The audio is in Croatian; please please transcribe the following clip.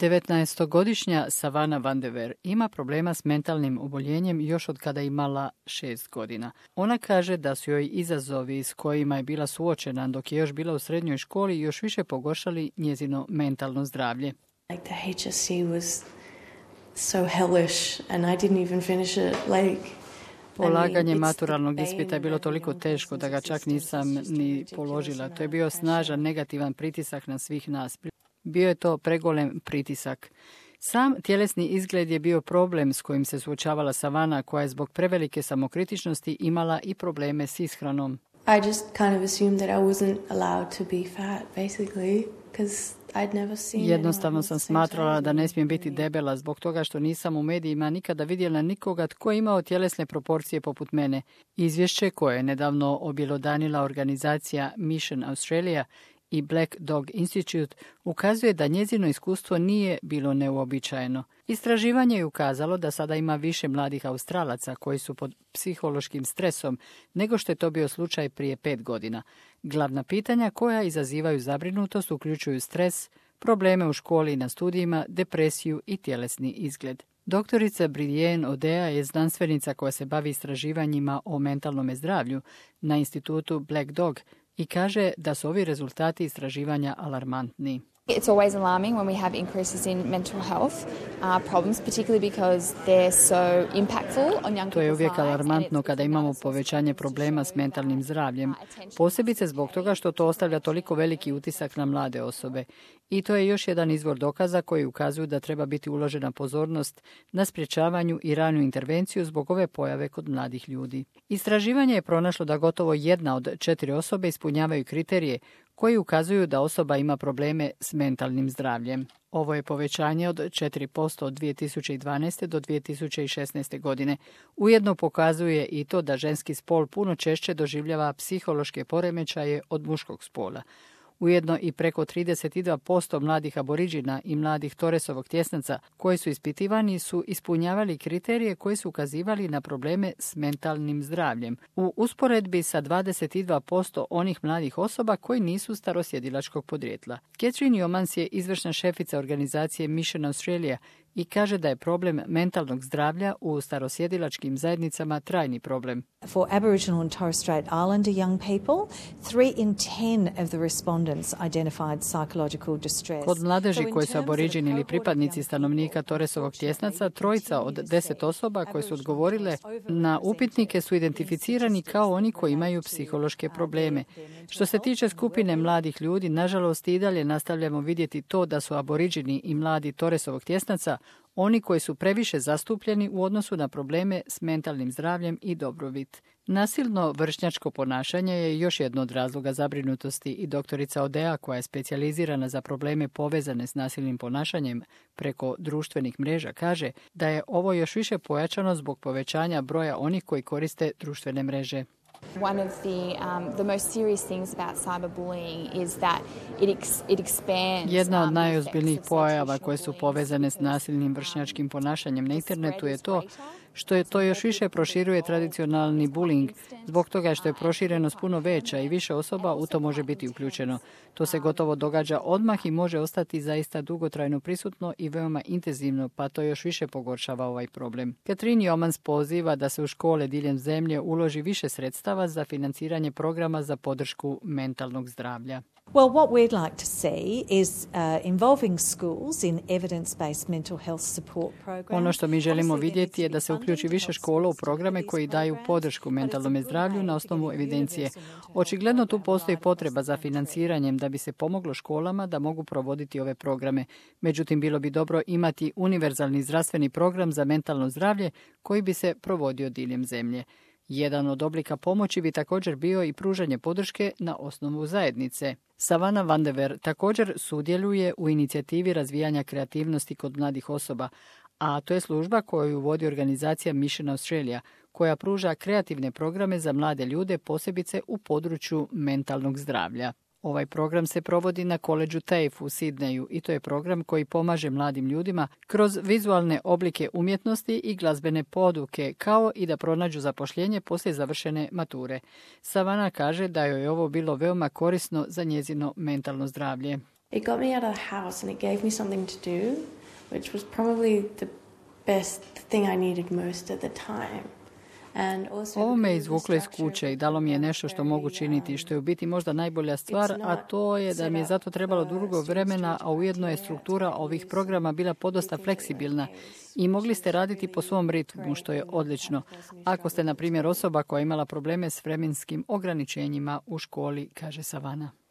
19-godišnja Savana van de Ver ima problema s mentalnim oboljenjem još od kada imala 6 godina. Ona kaže da su joj izazovi s kojima je bila suočena dok je još bila u srednjoj školi još više pogoršali njezino mentalno zdravlje. Like the HSC was so hellish and I didn't even finish it Polaganje maturalnog ispita je bilo toliko teško da ga čak nisam ni položila. To je bio snažan negativan pritisak na svih nas. Bio je to pregolem pritisak. Sam tjelesni izgled je bio problem s kojim se suočavala Savana, koja je zbog prevelike samokritičnosti imala i probleme s ishranom. I just kind of assumed that I wasn't allowed to be fat, basically, because I'd never seen Jednostavno sam smatrala da ne smijem biti debela zbog toga što nisam u medijima nikada vidjela nikoga tko je imao tjelesne proporcije poput mene. Izvješće koje je nedavno objelodanila organizacija Mission Australia i Black Dog Institute ukazuje da njezino iskustvo nije bilo neuobičajeno. Istraživanje je ukazalo da sada ima više mladih Australaca koji su pod psihološkim stresom nego što je to bio slučaj prije 5 godina. Glavna pitanja koja izazivaju zabrinutost uključuju stres, probleme u školi i na studijima, depresiju i tjelesni izgled. Doktorica Brienne Odea je znanstvenica koja se bavi istraživanjima o mentalnom zdravlju na institutu Black Dog i kaže da su ovi rezultati istraživanja alarmantni. It's always alarming when we have increases in mental health problems, particularly because they're so impactful on young people's lives. To je uvijek alarmantno kada imamo povećanje problema s mentalnim zdravljem, posebice zbog toga što to ostavlja toliko veliki utisak na mlade osobe. I to je još jedan izvor dokaza koji ukazuju da treba biti uložena pozornost na sprječavanju i ranu intervenciju zbog ove pojave kod mladih ljudi. Istraživanje je pronašlo da gotovo 1 od 4 osobe ispunjavaju kriterije koji ukazuju da osoba ima probleme s mentalnim zdravljem. Ovo je povećanje od 4% od 2012. do 2016. godine. Ujedno pokazuje i to da ženski spol puno češće doživljava psihološke poremećaje od muškog spola. Ujedno i preko 32% mladih aboriđina i mladih Torresovog tjesnaca koji su ispitivani su ispunjavali kriterije koji su ukazivali na probleme s mentalnim zdravljem, u usporedbi sa 22% onih mladih osoba koji nisu starosjedilačkog podrijetla. Catherine Yeomans je izvršna šefica organizacije Mission Australia i kaže da je problem mentalnog zdravlja u starosjedilačkim zajednicama trajni problem. For Aboriginal and Torres Strait Islander young people, 3 in 10 of the respondents identified psychological distress. Kod mladeži koji su aboriđini ili pripadnici stanovnika Torresovog tjesnaca, 3 od 10 osoba koje su odgovorile na upitnike su identificirani kao oni koji imaju psihološke probleme. Što se tiče skupine mladih ljudi, nažalost i dalje nastavljamo vidjeti to da su aboriđini i mladi Torresovog tjesnaca oni koji su previše zastupljeni u odnosu na probleme s mentalnim zdravljem i dobrobit. Nasilno vršnjačko ponašanje je još jedno od razloga zabrinutosti i doktorica Odea, koja je specijalizirana za probleme povezane s nasilnim ponašanjem preko društvenih mreža, kaže da je ovo još više pojačano zbog povećanja broja onih koji koriste društvene mreže. One of the most serious things about cyberbullying is that it expands. Jedna od najozbiljnijih pojava koje su povezane s nasilnim vršnjačkim ponašanjem na internetu je to što je to još više proširuje tradicionalni bullying, zbog toga što je proširenost puno veća i više osoba u to može biti uključeno. To se gotovo događa odmah i može ostati zaista dugotrajno prisutno i veoma intenzivno, pa to još više pogoršava ovaj problem. Catherine Yeomans poziva da se u škole diljem zemlje uloži više sredstava za financiranje programa za podršku mentalnog zdravlja. Well, what we'd like to see is involving schools in evidence-based mental health support programs. Ono što mi želimo vidjeti je da se uključi više škola u programe koji daju podršku mentalnom zdravlju na osnovu evidencije. Očigledno tu postoji potreba za financiranjem da bi se pomoglo školama da mogu provoditi ove programe. Međutim, bilo bi dobro imati univerzalni zdravstveni program za mentalno zdravlje koji bi se provodio diljem zemlje. Jedan od oblika pomoći bi također bio i pružanje podrške na osnovu zajednice. Savana van de Ver također sudjeluje u inicijativi razvijanja kreativnosti kod mladih osoba, a to je služba koju vodi organizacija Mission Australia, koja pruža kreativne programe za mlade ljude, posebice u području mentalnog zdravlja. Ovaj program se provodi na koledžu TAFE u Sidneju i to je program koji pomaže mladim ljudima kroz vizualne oblike umjetnosti i glazbene poduke, kao i da pronađu zapošljenje poslije završene mature. Savana kaže da joj je ovo bilo veoma korisno za njezino mentalno zdravlje. It got me out of the house and it gave me something to do, which was probably the best thing I needed most at the time. Ovo me izvuklo iz kuće i dalo mi je nešto što mogu činiti, što je u biti možda najbolja stvar, a to je da mi je zato trebalo dugo vremena, a ujedno je struktura ovih programa bila podosta fleksibilna i mogli ste raditi po svom ritmu, što je odlično. Ako ste, na primjer, osoba koja je imala probleme s vremenskim ograničenjima u školi, kaže Savana.